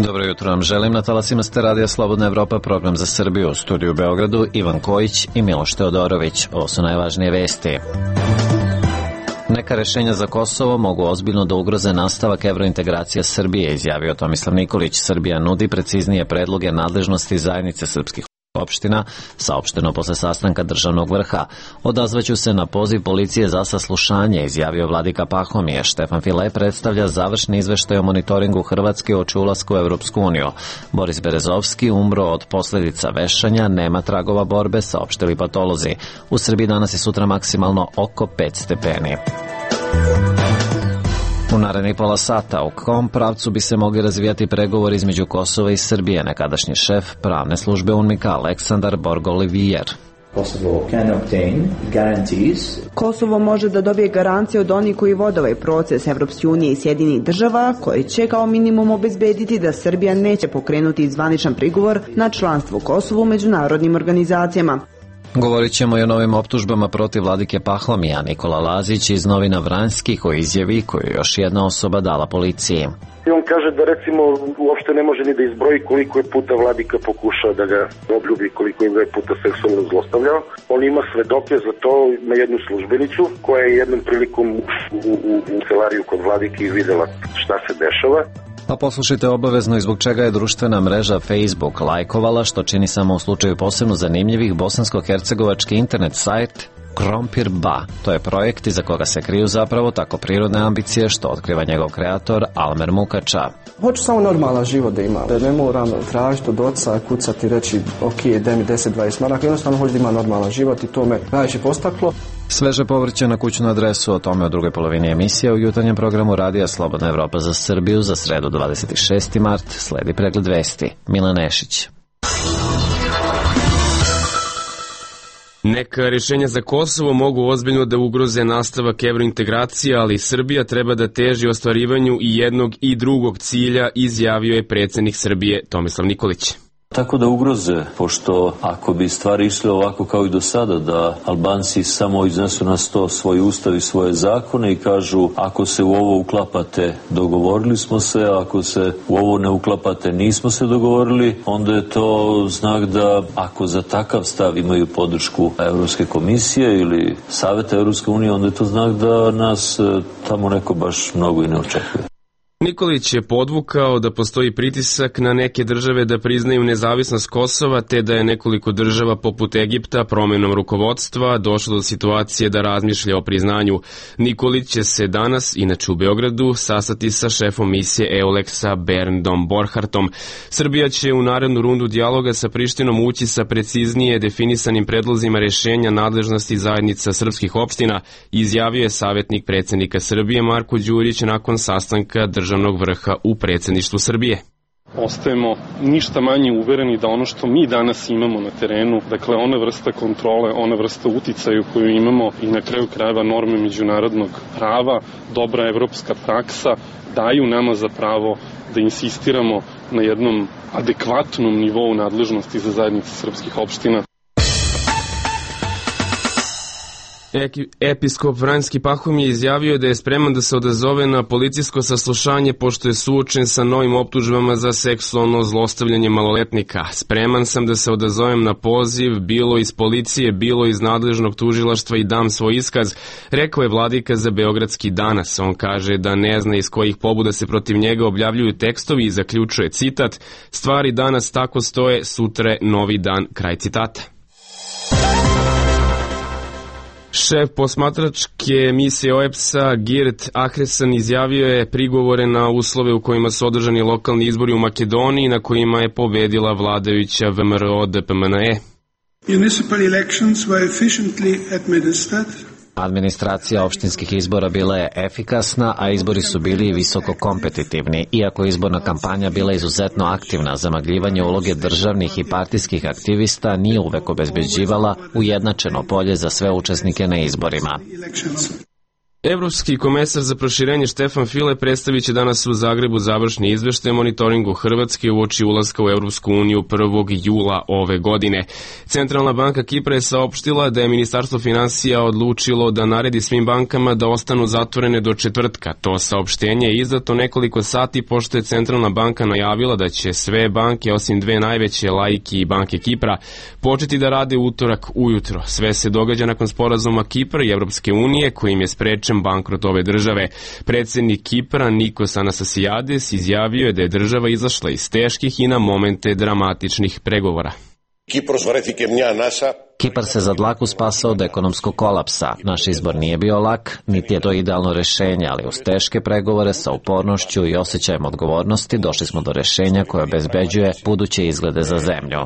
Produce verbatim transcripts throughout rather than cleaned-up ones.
Dobro jutro vam želim. Na talasima ste Radija Slobodna Evropa, program za Srbiju. U studiju u Beogradu Ivan Kojić i Miloš Teodorović. Ovo su najvažnije vesti. Neka rešenja za Kosovo mogu ozbiljno da ugroze nastavak evrointegracija Srbije, izjavio Tomislav Nikolić. Srbija nudi preciznije predloge nadležnosti zajednice srpskih opština, saopšteno posle sastanka državnog vrha. Odazvaću se na poziv policije za saslušanje, izjavio vladika Pahomije. Štefan File predstavlja završni izveštaj o monitoringu Hrvatske uoči ulaska u Evropsku uniju. Boris Berezovski umro od posledica vešanja, nema tragova borbe, saopštili patolozi. U Srbiji danas i sutra maksimalno oko pet stepeni. U narednih pola sata u kom pravcu bi se mogli razvijati pregovori između Kosova i Srbije, nekadašnji šef pravne službe UNMIK-a Aleksandar Borg-Olivier. Kosovo može da dobije garancije od onih koji vode ovaj proces Evropske unije i Sjedinjenih država, koji će kao minimum obezbediti da Srbija neće pokrenuti zvaničan prigovor na članstvo Kosova u međunarodnim organizacijama. Govorit ćemo i o novim optužbama protiv vladike Pahomija. Nikola Lazić iz novina Vranjski koji izjavi koju je još jedna osoba dala policiji. I on kaže da recimo uopšte ne može ni da izbroji koliko je puta vladika pokušao da ga obljubi, koliko je puta seksualno zlostavljao. On ima svedoke za to, na jednu službenicu koja je jednom prilikom u, u, u kancelariju kod vladike i videla šta se dešava. Pa poslušajte obavezno i zbog čega je društvena mreža Facebook lajkovala, što čini samo u slučaju posebno zanimljivih bosansko-hercegovački internet sajt Krompir Ba. To je projekt iza koga se kriju zapravo tako prirodne ambicije što otkriva njegov kreator Almer Mukača. Hoću samo normalan život da imam. Ne moram tražiti od oca, kucati, reći ok, daj mi deset dvadeset maraka. Jednostavno hoću da imam normalan život i to me najviše postaklo. Sveže povrće na kućnu adresu, o tome u drugoj polovini emisije u jutarnjem programu Radija Slobodna Evropa za Srbiju za sredu dvadeset šesti mart. Sledi pregled vesti. Milan Nešić. Neka rješenja za Kosovo mogu ozbiljno da ugroze nastavak evrointegracija, ali Srbija treba da teži ostvarivanju i jednog i drugog cilja, izjavio je predsjednik Srbije Tomislav Nikolić. Tako da ugroze, pošto ako bi stvari išle ovako kao i do sada, da Albanci samo iznesu na sto svoj ustav i svoje zakone i kažu ako se u ovo uklapate dogovorili smo se, ako se u ovo ne uklapate nismo se dogovorili, onda je to znak da ako za takav stav imaju podršku Evropske komisije ili Saveta Evropske unije, onda je to znak da nas tamo neko baš mnogo i ne očekuje. Nikolić je podvukao da postoji pritisak na neke države da priznaju nezavisnost Kosova, te da je nekoliko država poput Egipta promenom rukovodstva došlo do situacije da razmišlja o priznanju. Nikolić će se danas, inače u Beogradu, sastati sa šefom misije EULEX-a Berndom Borhartom. Srbija će u narednu rundu dijaloga sa Prištinom ući sa preciznije definisanim predlozima rješenja nadležnosti zajednica srpskih opština, izjavio je savjetnik predsjednika Srbije Marko Đurić nakon sastanka državnog vrha u predsjedništvu Srbije. Ostajemo ništa manje uvereni da ono što mi danas imamo na terenu, dakle ona vrsta kontrole, ona vrsta uticaju koju imamo i na kraju krajeva norme međunarodnog prava, dobra evropska praksa, daju nama za pravo da insistiramo na jednom adekvatnom nivou nadležnosti za zajednice srpskih opština. Episkop Vranjski Pahomije izjavio da je spreman da se odazove na policijsko saslušanje pošto je suočen sa novim optužbama za seksualno zlostavljanje maloletnika. Spreman sam da se odazovem na poziv, bilo iz policije, bilo iz nadležnog tužilaštva i dam svoj iskaz, rekao je vladika za Beogradski danas. On kaže da ne zna iz kojih pobuda se protiv njega objavljuju tekstovi i zaključuje citat: stvari danas tako stoje, sutra je novi dan, kraj citata. Šef posmatračke misije O E B S-a Girt Ahresan izjavio je prigovore na uslove u kojima su održani lokalni izbori u Makedoniji na kojima je pobedila vladajuća V M R O D P M N E. Municipal elections were efficiently administered. Administracija opštinskih izbora bila je efikasna, a izbori su bili visoko kompetitivni. Iako izborna kampanja bila izuzetno aktivna, zamagljivanje uloge državnih i partijskih aktivista nije uvek obezbeđivala ujednačeno polje za sve učesnike na izborima. Evropski komesar za proširenje Štefan File predstavit će danas u Zagrebu završni izveštaj o monitoringu Hrvatske uoči ulaska u Evropsku uniju prvog jula ove godine. Centralna banka Kipra je saopštila da je Ministarstvo finansija odlučilo da naredi svim bankama da ostanu zatvorene do četvrtka. To saopštenje je izdato nekoliko sati pošto je Centralna banka najavila da će sve banke, osim dve najveće, Laiki i Banke Kipra, početi da rade utorak ujutro. Sve se događa nakon sporazuma Kipra i Evropske unije kojim je sprečen bankrot ove države. Predsjednik Kipra Nikos Anastasiades izjavio je da je država izašla iz teških i na momente dramatičnih pregovora. Kipar se za dlaku spasao od ekonomskog kolapsa. Naš izbor nije bio lak, niti je to idealno rešenje, ali uz teške pregovore sa upornošću i osjećajem odgovornosti došli smo do rešenja koje obezbeđuje buduće izglede za zemlju.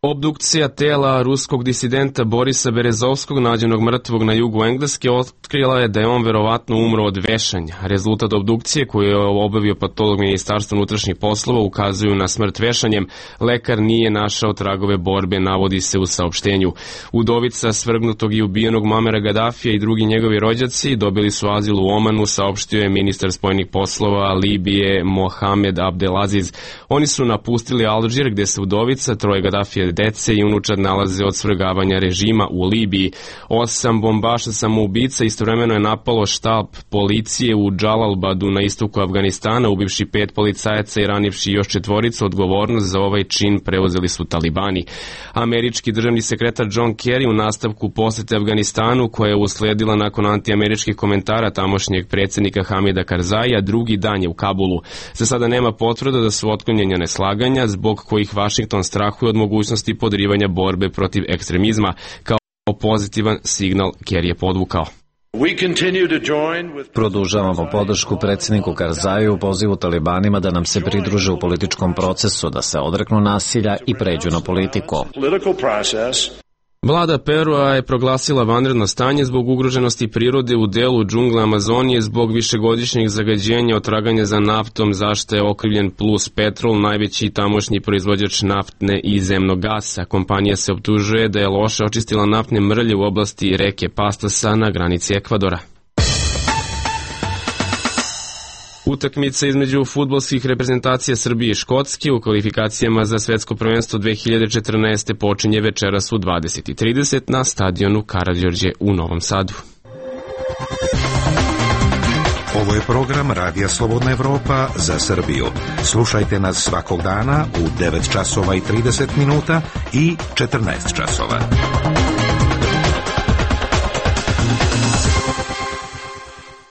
Obdukcija tela ruskog disidenta Borisa Berezovskog, nađenog mrtvog na jugu Engleske, otkrila je da je on verovatno umro od vešanja. Rezultat obdukcije koju je obavio patolog Ministarstva unutrašnjih poslova ukazuju na smrt vešanjem. Lekar nije našao tragove borbe, navodi se u saopštenju. Udovica svrgnutog i ubijenog Muamera Gadafija i drugi njegovi rođaci dobili su azil u Omanu, saopštio je ministar spoljnih poslova Libije Mohamed Abdelaziz. Oni su napustili Alžir gde se udovica, troje Gadafije dece i unučad nalaze od svrgavanja režima u Libiji. Osam bombaša samoubica istovremeno je napalo štab policije u Džalalbadu na istoku Afganistana, ubivši pet policajaca i ranivši još četvoricu. Odgovornost za ovaj čin preuzeli su talibani. Američki državni sekretar John Kerry u nastavku posete Afganistanu, koja je usledila nakon antiameričkih komentara tamošnjeg predsjednika Hamida Karzaija, drugi dan je u Kabulu. Za sada nema potvrda da su otklonjena neslaganja zbog kojih Vašington strahuje od mogućnosti i podrivanja borbe protiv ekstremizma. Kao pozitivan signal Kerry je podvukao. Produžavamo podršku predsjedniku Karzaju u pozivu talibanima da nam se pridruže u političkom procesu, da se odreknu nasilja i pređu na politiku. Vlada Perua je proglasila vanredno stanje zbog ugroženosti prirode u delu džungle Amazonije zbog višegodišnjeg zagađenja od traganja za naftom, za što je okrivljen Plus Petrol, najveći tamošnji proizvođač naftne i zemnog gasa. Kompanija se optužuje da je loše očistila naftne mrlje u oblasti reke Pastasa na granici Ekvadora. Utakmica između fudbalskih reprezentacija Srbije i Škotske u kvalifikacijama za svetsko prvenstvo dve hiljade četrnaeste. počinje večeras u dvadeset i trideset na stadionu Karađorđe u Novom Sadu. Ovo je program Radija Slobodna Evropa za Srbiju. Slušajte nas svakog dana u devet časova i trideset minuta i četrnaest časova.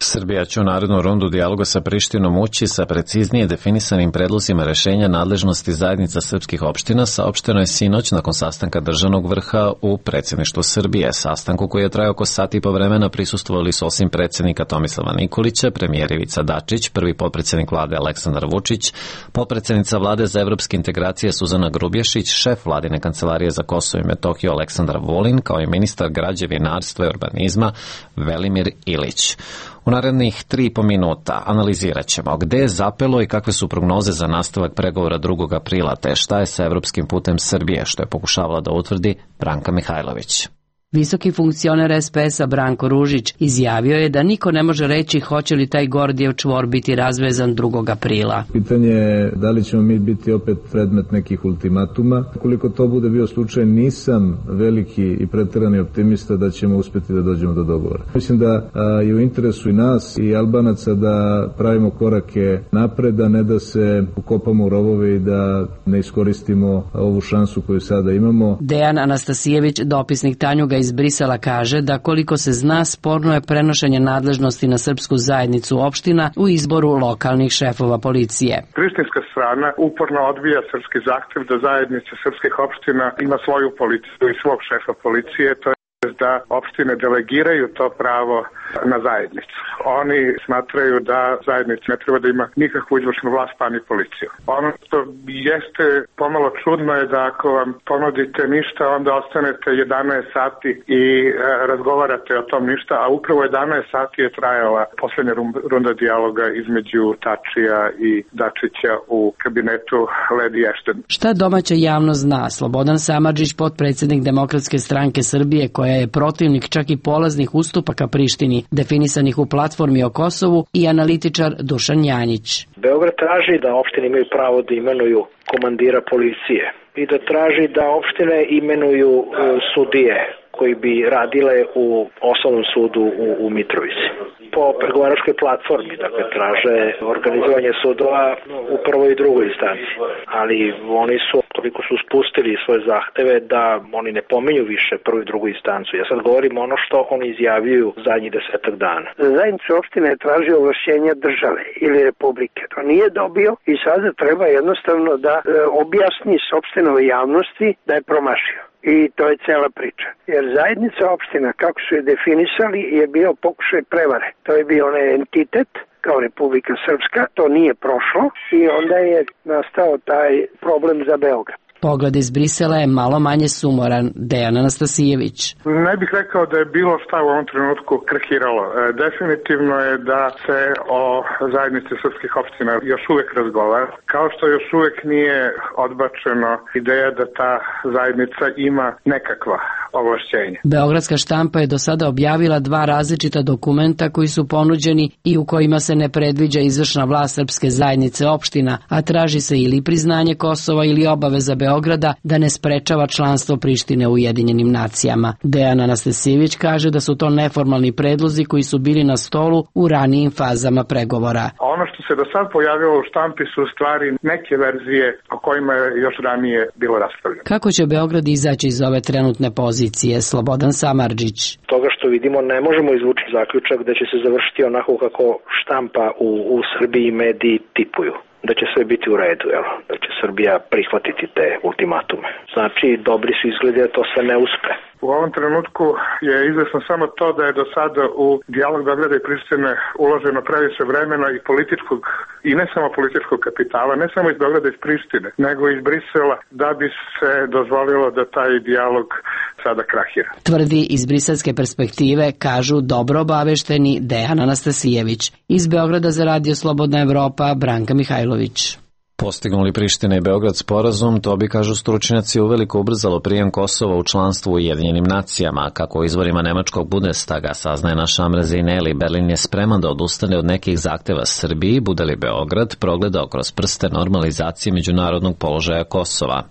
Srbija će u narednu rundu dijaloga sa Prištinom ući sa preciznije definisanim predlozima rešenja nadležnosti zajednica srpskih opština, saopšteno je sinoć nakon sastanka državnog vrha u predsjedništvu Srbije. Sastanku koji je trajao oko sat i po vremena prisustvovali su osim predsjednika Tomislava Nikolića, premijer Ivica Dačić, prvi potpredsjednik vlade Aleksandar Vučić, potpredsjednica vlade za evropske integracije Suzana Grubješić, šef vladine kancelarije za Kosovo i Metohiju Aleksandar Vulin, kao i ministar građevinarstva i urbanizma Velimir Ilić. U narednih tri i po minuta analizirat ćemo gde je zapelo i kakve su prognoze za nastavak pregovora drugog aprila, te šta je sa evropskim putem Srbije, što je pokušavala da utvrdi Branka Mihajlović. Visoki funkcioner es pe es-a Branko Ružić izjavio je da niko ne može reći hoće li taj Gordijev čvor biti razvezan drugog aprila. Pitanje je da li ćemo mi biti opet predmet nekih ultimatuma. Koliko to bude bio slučaj, nisam veliki i preterani optimista da ćemo uspeti da dođemo do dogovora. Mislim da a, je u interesu i nas i Albanaca da pravimo korake napred, a ne da se ukopamo u rovove i da ne iskoristimo ovu šansu koju sada imamo. Dejan Anastasijević, dopisnik Tanjuga iz Brisela, kaže da koliko se zna, sporno je prenošenje nadležnosti na srpsku zajednicu opština u izboru lokalnih šefova policije. Prištinska strana uporno odbija srpski zahtev da zajednica srpskih opština ima svoju policiju i svog šefa policije, to je da opštine delegiraju to pravo na zajednicu. Oni smatraju da zajednica ne treba da ima nikakvu izvršnu vlast pa ni policiju. Ono što jeste pomalo čudno je da ako vam ponudite ništa, onda ostanete jedanaest sati i e, razgovarate o tom ništa, a upravo jedanaest sati je trajala poslednja runda dijaloga između Tačija i Dačića u kabinetu Lady Ashton. Šta domaća javnost zna? Slobodan Samardžić, potpredsjednik Demokratske stranke Srbije, koja je protivnik čak i polaznih ustupaka Prištini, definisanih u platformi o Kosovu, i analitičar Dušan Janjić. Beograd traži da opštine imaju pravo da imenuju komandira policije i da traži da opštine imenuju sudije koji bi radile u osnovnom sudu u, u Mitrovici. Po pregovaračkoj platformi, dakle, traže organizovanje sudova u prvoj i drugoj instanci, ali oni su, toliko su spustili svoje zahteve da oni ne pominju više prvu i drugu instancu. Ja sad govorim ono što oni izjavljuju zadnjih desetak dana. Zajednica opštine je tražio ovlašćenja države ili republike. To nije dobio i sada treba jednostavno da e, objasni sopstvenoj javnosti da je promašio. I to je cela priča. Jer zajednica opština, kako su je definisali, je bio pokušaj prevare. To je bio onaj entitet kao Republika Srpska, to nije prošlo i onda je nastao taj problem za Beograd. Pogled iz Brisela je malo manje sumoran. Dejan Anastasijević. Ne bih rekao da je bilo šta u ovom trenutku krahiralo. E, definitivno je da se o zajednici srpskih opština još uvek razgovara, kao što još uvek nije odbačeno ideja da ta zajednica ima nekakva ovlašćenja. Beogradska štampa je do sada objavila dva različita dokumenta koji su ponuđeni i u kojima se ne predviđa izvršna vlast srpske zajednice opština, a traži se ili priznanje Kosova ili obaveza Beograda da ne sprečava članstvo Prištine u Ujedinjenim nacijama. Dejan Anastasijević kaže da su to neformalni predlozi koji su bili na stolu u ranijim fazama pregovora. Ono što se do sad pojavilo u štampi su stvari neke verzije o kojima je još ranije bilo raspravljeno. Kako će Beograd izaći iz ove trenutne pozicije? Slobodan Samardžić. Toga što vidimo ne možemo izvući zaključak da će se završiti onako kako štampa u, u Srbiji mediji tipuju. Da će sve biti u redu, jel? Da će Srbija prihvatiti te ultimatume. Znači, dobri su izgledi da to sve ne uspe. U ovom trenutku je izvesno samo to da je do sada u dijalog Beograda i Prištine uloženo previše vremena i političkog, i ne samo političkog kapitala, ne samo iz Beograda i iz Prištine, nego iz Brisela, da bi se dozvolilo da taj dijalog sada krahira. Tvrdi iz briselske perspektive, kažu dobro obavešteni Dejan Anastasijević. Iz Beograda za Radio Slobodna Evropa, Branka Mihajlović. Postignuli Priština i Beograd sporazum, to bi, kažu stručnjaci, uveliko ubrzalo prijem Kosova u članstvu u Ujedinjenim nacijama. Kako u izvorima nemačkog Bundestaga saznaje naša Amra Zejneli, Berlin je spreman da odustane od nekih zahteva Srbiji, bude li Beograd progledao kroz prste normalizacije međunarodnog položaja Kosova.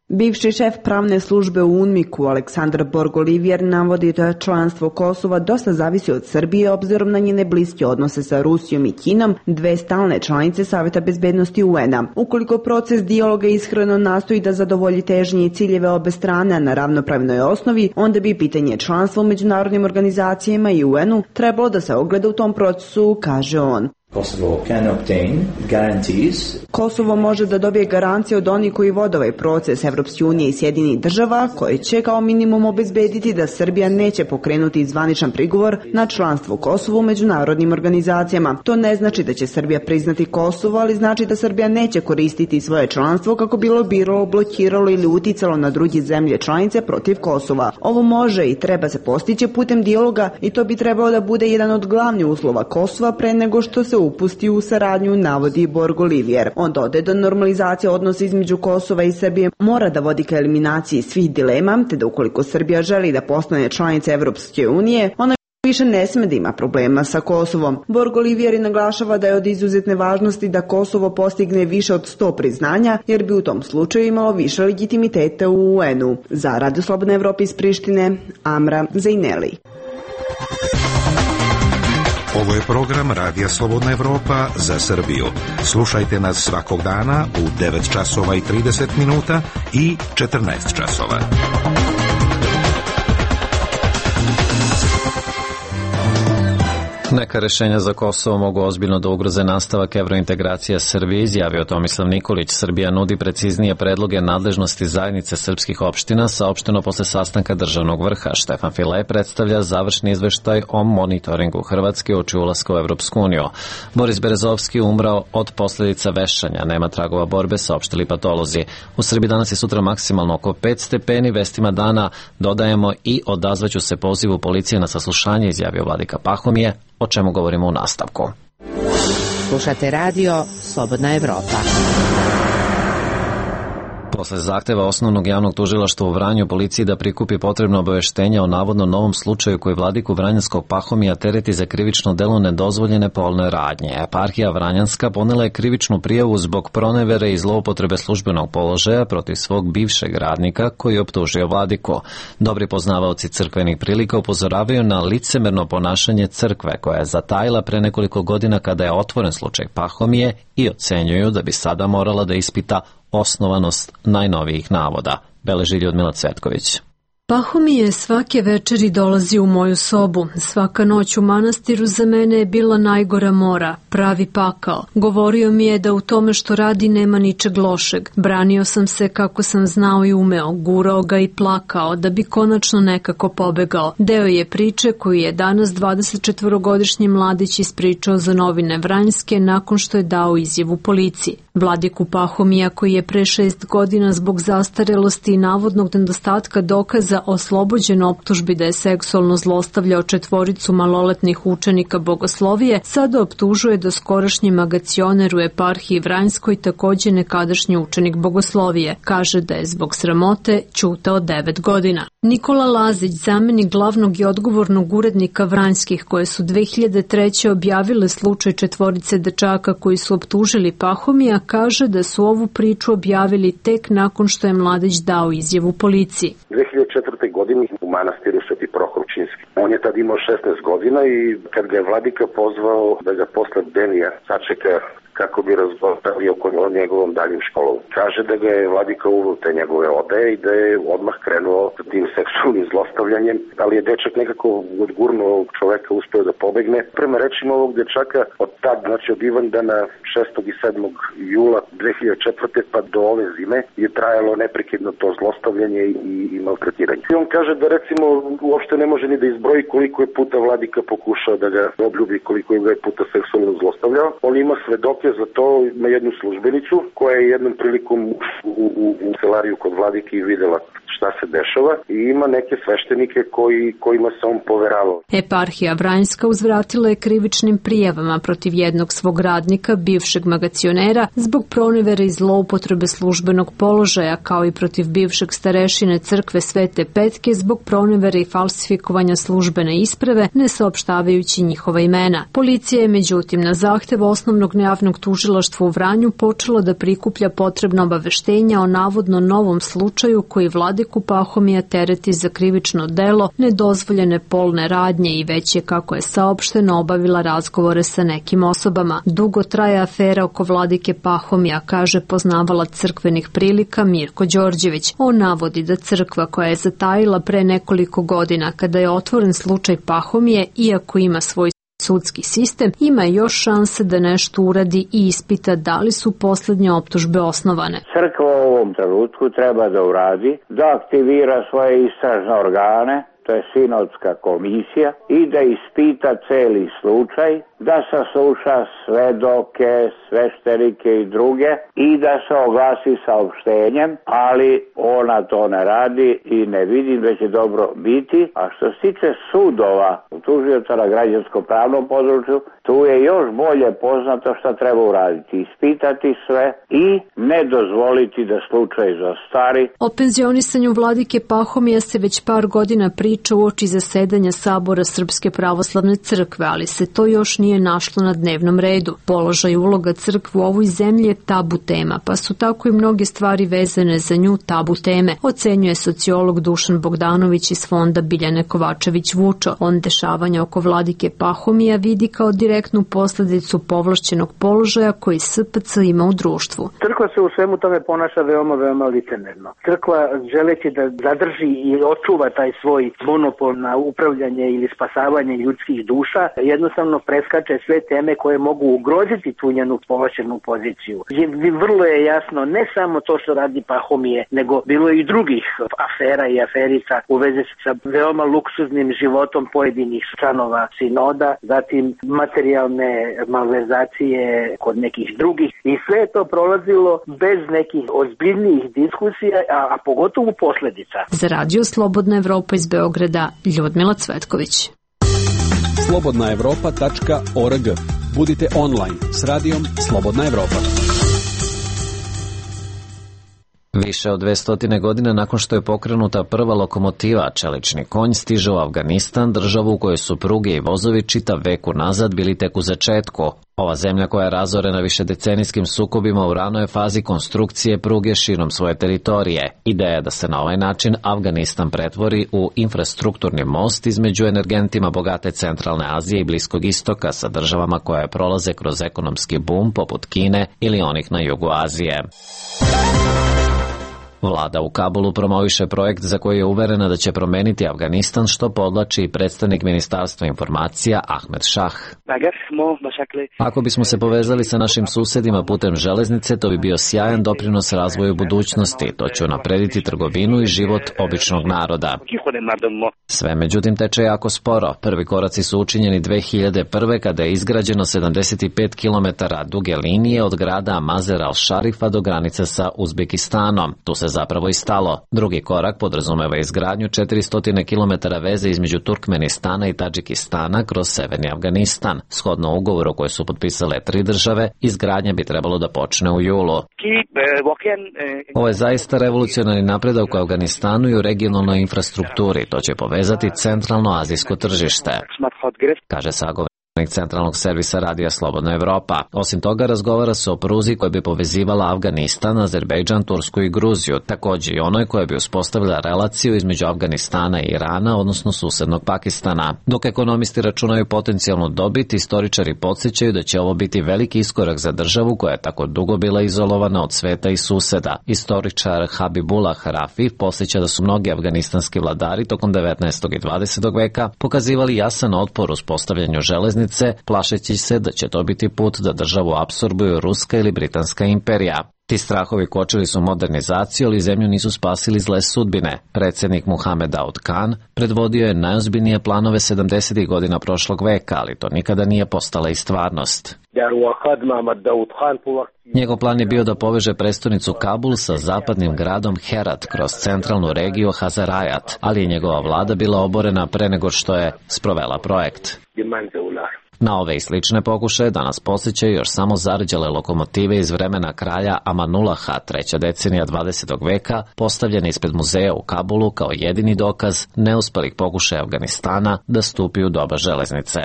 Bivši šef pravne službe u UNMIK-u Aleksandar Borgolivijer navodi da članstvo Kosova dosta zavisi od Srbije obzirom na njene bliske odnose sa Rusijom i Kinom, dve stalne članice Saveta bezbednosti U N-a. Ukoliko proces dijaloga ishrano nastoji da zadovolji težnje i ciljeve obe strane na ravnopravnoj osnovi, onda bi pitanje članstva u međunarodnim organizacijama i U N-u trebalo da se ogleda u tom procesu, kaže on. Kosovo can obtain guarantees. Kosovo može da dobije garancije od onih koji vode ovaj proces Evropske unije i Sjedinjenih država, koji će kao minimum obezbediti da Srbija neće pokrenuti zvaničan prigovor na članstvo Kosova u međunarodnim organizacijama. To ne znači da će Srbija priznati Kosovo, ali znači da Srbija neće koristiti svoje članstvo kako bilo biralo, blokiralo ili uticalo na druge zemlje članice protiv Kosova. Ovo može i treba se postići putem dijaloga i to bi trebalo da bude jedan od glavnih uslova Kosova pre nego što se upusti u saradnju, navodi Borgolivijer. On dodaje da normalizacija odnosa između Kosova i Srbije mora da vodi ka eliminaciji svih dilema, te da ukoliko Srbija želi da postane članica Evropske unije, ona više ne sme da ima problema sa Kosovom. Borgolivijer naglašava da je od izuzetne važnosti da Kosovo postigne više od sto priznanja, jer bi u tom slučaju imalo više legitimiteta u U N-u. Za Radio Slobodna Evropa iz Prištine, Amra Zejneli. Ovo je program Radija Slobodna Evropa za Srbiju. Slušajte nas svakog dana u devet časova i trideset minuta i četrnaest časova. Neka rešenja za Kosovo mogu ozbiljno da ugroze nastavak evrointegracije Srbije, izjavio Tomislav Nikolić. Srbija nudi preciznije predloge nadležnosti zajednice srpskih opština, saopšteno posle sastanka državnog vrha. Štefan Filej predstavlja završni izveštaj o monitoringu Hrvatske uoči ulaska u Evropsku uniju. Boris Berezovski umrao od posledica vešanja, nema tragova borbe, saopštili patolozi. U Srbiji danas i sutra maksimalno oko pet stepeni, vestima dana dodajemo i odazvaću se pozivu policije na saslušanje, izjavio Vladika Pahomije, o čemu govorimo u nastavku. Slušate radio Slobodna Evropa. Posle zahteva Osnovnog javnog tužilaštva u Vranju policiji da prikupi potrebno obaveštenja o navodno novom slučaju koji vladiku Vranjanskog Pahomija tereti za krivično delo nedozvoljene polne radnje. Eparhija Vranjanska ponela je krivičnu prijavu zbog pronevere i zloupotrebe službenog položaja protiv svog bivšeg radnika koji je optužio vladiku. Dobri poznavaoci crkvenih prilika upozoravaju na licemerno ponašanje crkve koja je zatajila pre nekoliko godina kada je otvoren slučaj Pahomije i ocenjuju da bi sada morala da ispita osnovanost najnovijih navoda, beleži Ljudmila Cvetković. Pahomije svake večeri dolazi u moju sobu. Svaka noć u manastiru za mene je bila najgora mora, pravi pakao. Govorio mi je da u tome što radi nema ničeg lošeg. Branio sam se kako sam znao i umeo, gurao ga i plakao da bi konačno nekako pobegao. Deo je priče koju je danas dvadesetčetvorogodišnji mladić ispričao za novine Vranjske nakon što je dao izjavu policiji. Vladiku Pahomija, koji je pre šest godina zbog zastarelosti i navodnog nedostatka dokaza oslobođen optužbi da je seksualno zlostavljao četvoricu maloletnih učenika bogoslovije, sada optužuje da skorašnji magacioner u eparhiji Vranjskoj takođe nekadašnji učenik bogoslovije. Kaže da je zbog sramote ćutao devet godina. Nikola Lazić, zamenik glavnog i odgovornog urednika Vranjskih, koje su dve hiljade treće objavile slučaj četvorice dečaka koji su optužili Pahomija, kaže da su ovu priču objavili tek nakon što je mladić dao izjavu policiji. dve hiljade četvrte. godine u manastiru Sveti Prohorčinski. On je tad imao šesnaest godina i kad ga je vladika pozvao da ga posle Denija sačeka kako bi razgovarali o njegovom daljim školom. Kaže da ga je vladika uveo te njegove odeje i da je odmah krenuo sa tim seksualnim zlostavljanjem, ali je dečak nekako odgurno ovog čoveka uspeo da pobegne. Prema rečima ovog dečaka, od tad, znači od Ivandana šestog i sedmog jula dve hiljade četvrte. pa do ove zime je trajalo neprekidno to zlostavljanje i, i maltretiranje. I on kaže da recimo uopšte ne može ni da izbroji koliko je puta vladika pokušao da ga obljubi, koliko je puta seksualno zlostavljao. On ima svedoke za to, na jednu službenicu koja je jednom prilikom u, u, u celariju kod vladike i videla šta se dešava i ima neke sveštenike koji, kojima se on poveravao. Eparhija Vranjska uzvratila je krivičnim prijavama protiv jednog svog radnika, bivšeg magacionera, zbog pronevere i zloupotrebe službenog položaja, kao i protiv bivšeg starešine crkve Svete Petke zbog pronevere i falsifikovanja službene isprave, ne saopštavajući njihova imena. Policija je međutim na zahtev Osnovnog javnog tužilaštva u Vranju počela da prikuplja potrebna obaveštenja o navodno novom slučaju koji vladiku Pahomija tereti za krivično delo nedozvoljene polne radnje i već je, kako je saopšteno, obavila razgovore sa nekim osobama. Dugo traje afera oko vladike Pahomija, kaže poznavalac crkvenih prilika Mirko Đorđević. On navodi da crkva koja je zatajila pre nekoliko godina kada je otvoren slučaj Pahomije, iako ima svoj sudski sistem, ima još šanse da nešto uradi i ispita da li su poslednje optužbe osnovane. Crkva u ovom trenutku treba da uradi, da aktivira svoje istražne organe, to je sinodska komisija, i da ispita celi slučaj, da sasluša svedoke, sveštenike i druge i da se oglasi saopštenjem, ali ona to ne radi i ne vidim da će dobro biti. A što se tiče sudova, tužioca na građansko-pravnom području, tu je još bolje poznato šta treba uraditi. Ispitati sve i ne dozvoliti da slučaj zastari. O penzionisanju vladike Pahomija se već par godina priča uoči zasedanja Sabora Srpske pravoslavne crkve, ali se to još nije našlo na dnevnom redu. Položaj i uloga crkve u ovoj zemlji je tabu tema, pa su tako i mnoge stvari vezane za nju tabu teme, ocenjuje sociolog Dušan Bogdanović iz fonda Biljane Kovačević-Vučo. On dešavanja oko vladike Pahomija vidi kao direktnu posledicu povlašćenog položaja koji S P C ima u društvu. Crkva se u svemu tome ponaša veoma, veoma licemerno. Crkva, želeći da zadrži i očuva taj svoj monopol na upravljanje ili spasavanje ljudskih duša, jednostavno preskače sve teme koje mogu ugroziti tu njenu povlašćenu poziciju. Vrlo je jasno ne samo to što radi Pahomije, nego bilo je i drugih afera i aferica u vezi sa veoma luksuznim životom pojedinih članova sinoda, zatim materijalne malverzacije kod nekih drugih i sve je to prolazilo bez nekih ozbiljnijih diskusija, a, a pogotovo posledica. Za Radio Slobodna Evropa iz Beograda, Ljudmila Cvetković. slobodna evropa tačka org. Budite online s radijom Slobodna Evropa. Više od dvesta godina nakon što je pokrenuta prva lokomotiva, čelični konj stiže u Afganistan, državu u kojoj su pruge i vozovi čitav vek unazad bili tek u začetku. Ova zemlja koja je razorena višedecenijskim sukobima u ranoj fazi konstrukcije pruge širom svoje teritorije. Ideja je da se na ovaj način Afganistan pretvori u infrastrukturni most između energentima bogate centralne Azije i Bliskog istoka sa državama koje prolaze kroz ekonomski bum poput Kine ili onih na jugu Azije. Vlada u Kabulu promoviše projekt za koji je uverena da će promeniti Afganistan, što podlači i predstavnik Ministarstva informacija Ahmed Šah. Ako bismo se povezali sa našim susedima putem železnice, to bi bio sjajan doprinos razvoju budućnosti. To će unaprediti trgovinu i život običnog naroda. Sve međutim teče jako sporo. Prvi koraci su učinjeni dve hiljade prve kada je izgrađeno sedamdeset pet kilometara duge linije od grada Mazer al-Šarifa do granice sa Uzbekistanom. Tu se zapravo i stalo. Drugi korak podrazumeva izgradnju četiristo kilometara veze između Turkmenistana i Tadžikistana kroz severni Afganistan. Shodno ugovoru koje su potpisale tri države, izgradnja bi trebalo da počne u julu. Ovo je zaista revolucionarni napredak u Afganistanu i u regionalnoj infrastrukturi. To će povezati centralno azijsko tržište, kaže sagovornik Centralnog servisa radija Slobodna Evropa. Osim toga, razgovara se o pruzi koja bi povezivala Afganistan, Azerbejdžan, Tursku i Gruziju, takođe i onoj koja bi uspostavila relaciju između Afganistana i Irana, odnosno susednog Pakistana. Dok ekonomisti računaju potencijalnu dobit, istoričari podsjećaju da će ovo biti veliki iskorak za državu koja je tako dugo bila izolovana od sveta i suseda. Istoričar Habibullah Rafi podsjeća da su mnogi afganistanski vladari tokom devetnaestog i dvadesetog veka pokazivali jasan otpor uspostavljanju železnice, plašeći se da će to biti put da državu apsorbuju Ruska ili Britanska imperija. Ti strahovi kočili su modernizaciju, ali zemlju nisu spasili zle sudbine. Predsjednik Muhammed Daud Khan predvodio je najozbiljnije planove sedamdesetih godina prošlog veka, ali to nikada nije postala i stvarnost. Njegov plan je bio da poveže prestonicu Kabul sa zapadnim gradom Herat kroz centralnu regiju Hazarajat, ali je njegova vlada bila oborena pre nego što je sprovela projekt. Na ove i slične pokušaje danas posjećaju još samo zarđale lokomotive iz vremena kralja Amanulaha, treća decenija dvadesetog veka, postavljene ispred muzeja u Kabulu kao jedini dokaz neuspelih pokušaja Afganistana da stupi u doba železnice.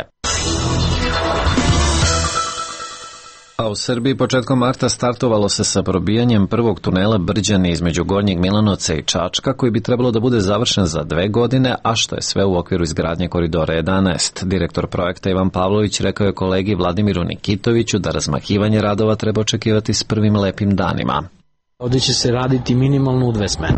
A u Srbiji početkom marta startovalo se sa probijanjem prvog tunela Brđani između Gornjeg Milanovca i Čačka, koji bi trebalo da bude završen za dve godine, a što je sve u okviru izgradnje Koridora jedanaest. Direktor projekta Ivan Pavlović rekao je kolegi Vladimiru Nikitoviću da razmahivanje radova treba očekivati s prvim lepim danima. Ovdje će se raditi minimalno u dve smene.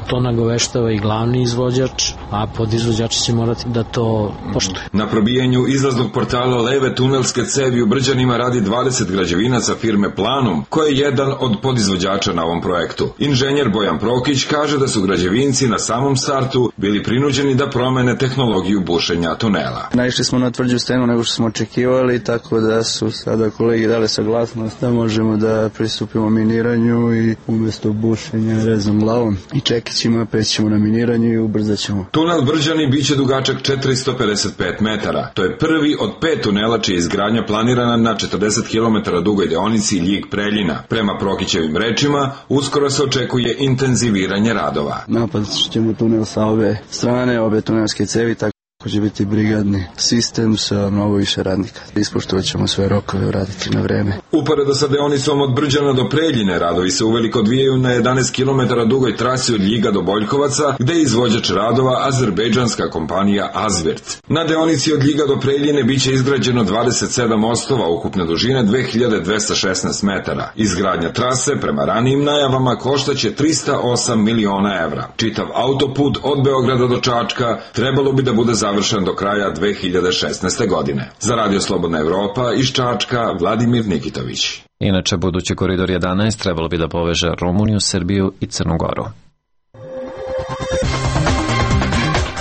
To nagoveštava i glavni izvođač, a podizvođači će morati da to poštuju. Na probijanju izlaznog portala leve tunelske cevi u Brđanima radi dvadeset građevinaca firme Planum, koja je jedan od podizvođača na ovom projektu. Inženjer Bojan Prokić kaže da su građevinci na samom startu bili prinuđeni da promene tehnologiju bušenja tunela. Naišli smo na tvrđu stenu nego što smo očekivali, tako da su sada kolegi dali saglasnost da možemo da pristupimo miniranju i umjesto bušenja rezom glavom i čekićima prećemo na miniranju i ubrzat ćemo. Tunel Brđani biće dugačak četiristo pedeset pet metara. To je prvi od pet tunela čija je izgradnja planirana na četrdeset kilometara dugoj deonici Ljig-Preljina. Prema Prokićevim rečima, uskoro se očekuje intenziviranje radova. Napad ćemo tunel sa obe strane, obe tunelske cevi, tako će biti brigadni sistem sa mnogo više radnika. Ispoštovat ćemo sve rokove, uraditi na vreme. Uporedo sa deonicom od Brđana do Preljine, radovi se uveliko odvijaju na jedanaest kilometara dugoj trasi od Ljiga do Boljkovaca, gde je izvođač radova azerbejdžanska kompanija Azvirt. Na deonici od Ljiga do Preljine biće izgrađeno dvadeset sedam mostova ukupne dužine dve hiljade dvesta šesnaest metara. Izgradnja trase, prema ranijim najavama, koštaće trista osam miliona evra. Čitav autoput od Beograda do Čačka trebalo bi da bude završen završen do kraja dve hiljade šesnaeste. godine. Za Radio Slobodna Evropa iz Čačka, Vladimir Nikitović. Inače, budući Koridor jedanaest trebalo bi da poveže Rumuniju, Srbiju i Crnu Goru.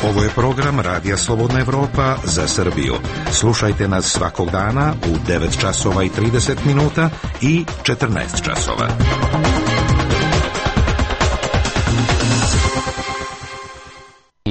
Ovo je program Radija Slobodna Evropa za Srbiju. Slušajte nas svakog dana u devet časova i trideset minuta i četrnaest časova.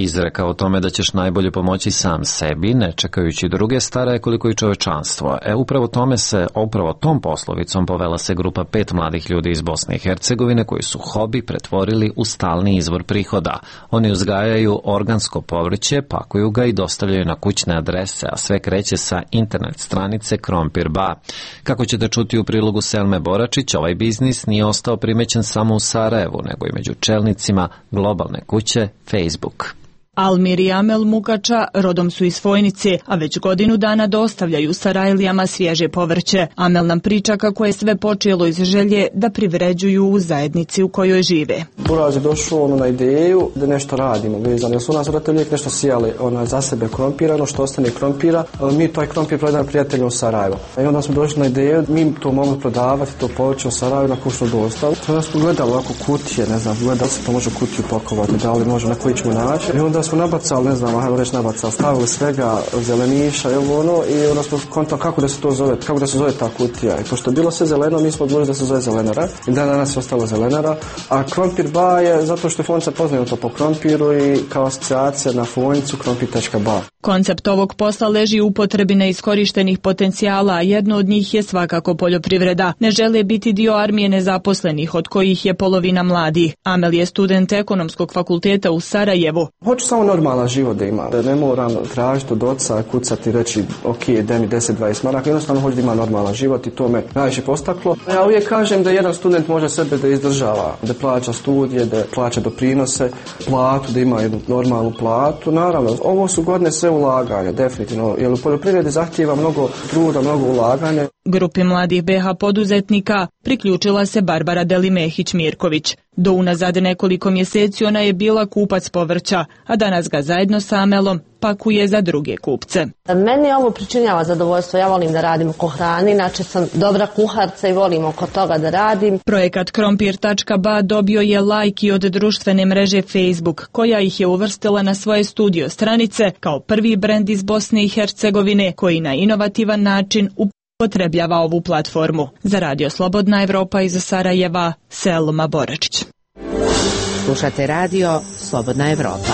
Izreka o tome da ćeš najbolje pomoći sam sebi, ne čekajući druge, stara je koliko i čovečanstvo. E, upravo tome se, upravo tom poslovicom povela se grupa pet mladih ljudi iz Bosne i Hercegovine koji su hobi pretvorili u stalni izvor prihoda. Oni uzgajaju organsko povrće, pakuju ga i dostavljaju na kućne adrese, a sve kreće sa internet stranice Krompir Ba. Kako ćete čuti u prilogu Selme Boračić, ovaj biznis nije ostao primećen samo u Sarajevu, nego i među čelnicima globalne kuće Facebook. Almir i Amel Mukača rodom su iz Fojnice, a već godinu dana dostavljaju Sarajlijama svježe povrće. Amel nam priča kako je sve počelo iz želje da privređuju u zajednici u kojoj žive. Buraz je došao ono na ideju da nešto radimo vezano, jer su u nas roditelji uvijek nešto sijali ona, za sebe krompira, ono što ostane krompira, mi taj krompir prodajemo prijateljima u Sarajevo. I onda smo došli na ideju, mi to mogli prodavati, to povrće u Sarajevu na kućnu dostavu. Onda smo gledali ovako kutije, ne znam, gledali se to može u kutiju pakovati, da li može na koji ćemo naći. I onda smo nabacali, ne znam, hajmo reći nabacali, stavili svega zeleniša i ovo ono i onda smo kontali kako da se to zove, kako da se zove ta kutija. I pošto je bilo sve zeleno, mi smo odlučili da se zove zelenara i dan danas je ostalo zelenara. A Krompir Ba je zato što je Fojnica poznato po krompiru i kao asocijacija na Fojnicu krompir tačka ba. Koncept ovog posla leži u upotrebi neiskorištenih potencijala, a jedno od njih je svakako poljoprivreda. Ne žele biti dio armije nezaposlenih, od kojih je polovina mladih. Amel je student ekonomskog fakulteta u Sarajevu. Hoću samo normalan život da ima. Ne moram tražiti od oca, kucati i reći ok, daj mi deset dvadeset maraka. Jednostavno hoću da ima normalan život i to me najviše postaklo. Ja uvijek kažem da jedan student može sebe da izdržava, da plaća studije, da plaća doprinose, platu, da ima jednu normalnu platu. Naravno, ovo su godine sve ulaganja, definitivno, jer u poljoprivredi zahtijeva mnogo truda, mnogo ulaganja. Grupi mladih be ha poduzetnika priključila se Barbara Delimehić-Mirković. Do unazad nekoliko mjeseci ona je bila kupac povrća, a danas ga zajedno sa Amelom pakuje za druge kupce. Meni ovo pričinjava zadovoljstvo, ja volim da radim oko hrane, inače sam dobra kuharca i volim oko toga da radim. Projekat krompir tačka ba dobio je lajk i od društvene mreže Facebook, koja ih je uvrstila na svoje studio stranice kao prvi brend iz Bosne i Hercegovine koji na inovativan način upotrebljava ovu platformu. Za Radio Slobodna Evropa iz Sarajeva, Selma Boračić. Slušate Radio Slobodna Evropa.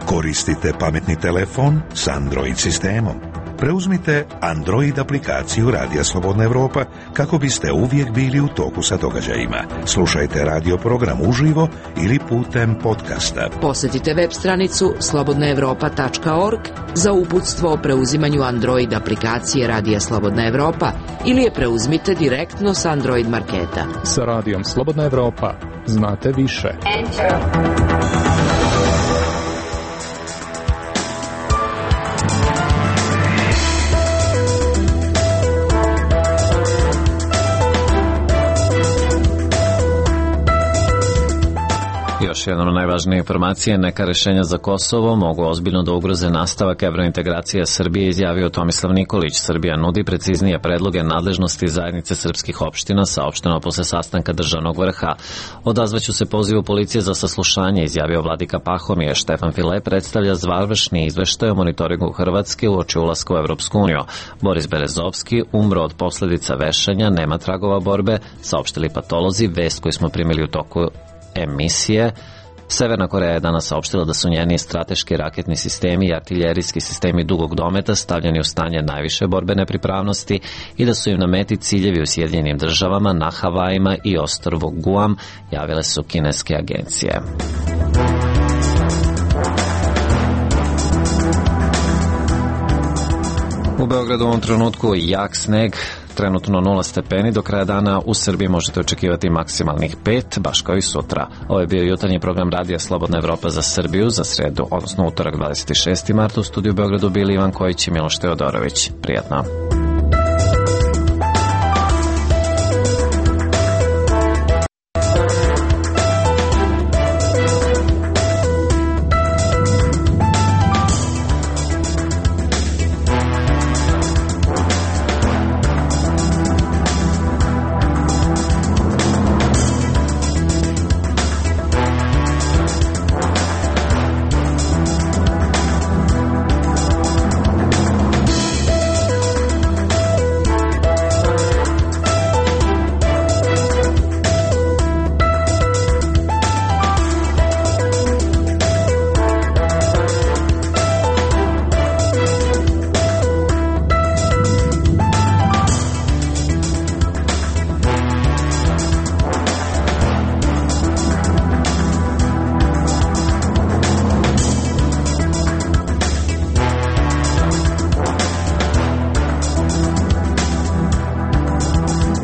Koristite pametni telefon s Android sistemom. Preuzmite Android aplikaciju Radija Slobodna Evropa kako biste uvijek bili u toku sa događajima. Slušajte radio program uživo ili putem podcasta. Posjetite web stranicu slobodna evropa tačka org za uputstvo o preuzimanju Android aplikacije Radija Slobodna Evropa ili je preuzmite direktno s Android marketa. Sa Radijom Slobodna Evropa znate više. Enter. Još jedna od najvažnije informacije, neka rešenja za Kosovo mogu ozbiljno da ugroze nastavak evrointegracije Srbije, izjavio Tomislav Nikolić. Srbija nudi preciznije predloge nadležnosti zajednice srpskih opština, saopšteno posle sastanka državnog vrha. Odazvaću se pozivu policije za saslušanje, izjavio vladika Pahomije. Štefan File predstavlja završni izveštaj o monitoringu Hrvatske uoči ulaska u Evropsku uniju. Boris Berezovski umro od posledica vešanja, nema tragova borbe, saopštili patolozi, vest koju smo primili u toku emisije. Severna Koreja je danas saopštila da su njeni strateški raketni sistemi i artiljerijski sistemi dugog dometa stavljeni u stanje najviše borbene pripravnosti i da su im na meti ciljevi u Sjedinjenim državama, na Havajima i ostrvu Guam, javile su kineske agencije. U Beogradu u ovom trenutku jak sneg, trenutno nula stepeni, do kraja dana u Srbiji možete očekivati maksimalnih pet, baš kao i sutra. Ovo je bio jutarnji program Radija Slobodna Evropa za Srbiju za sredu, odnosno utorak dvadeset šesti marta. U studiju u Beogradu bili Ivan Kojić i Miloš Teodorović. Prijatno.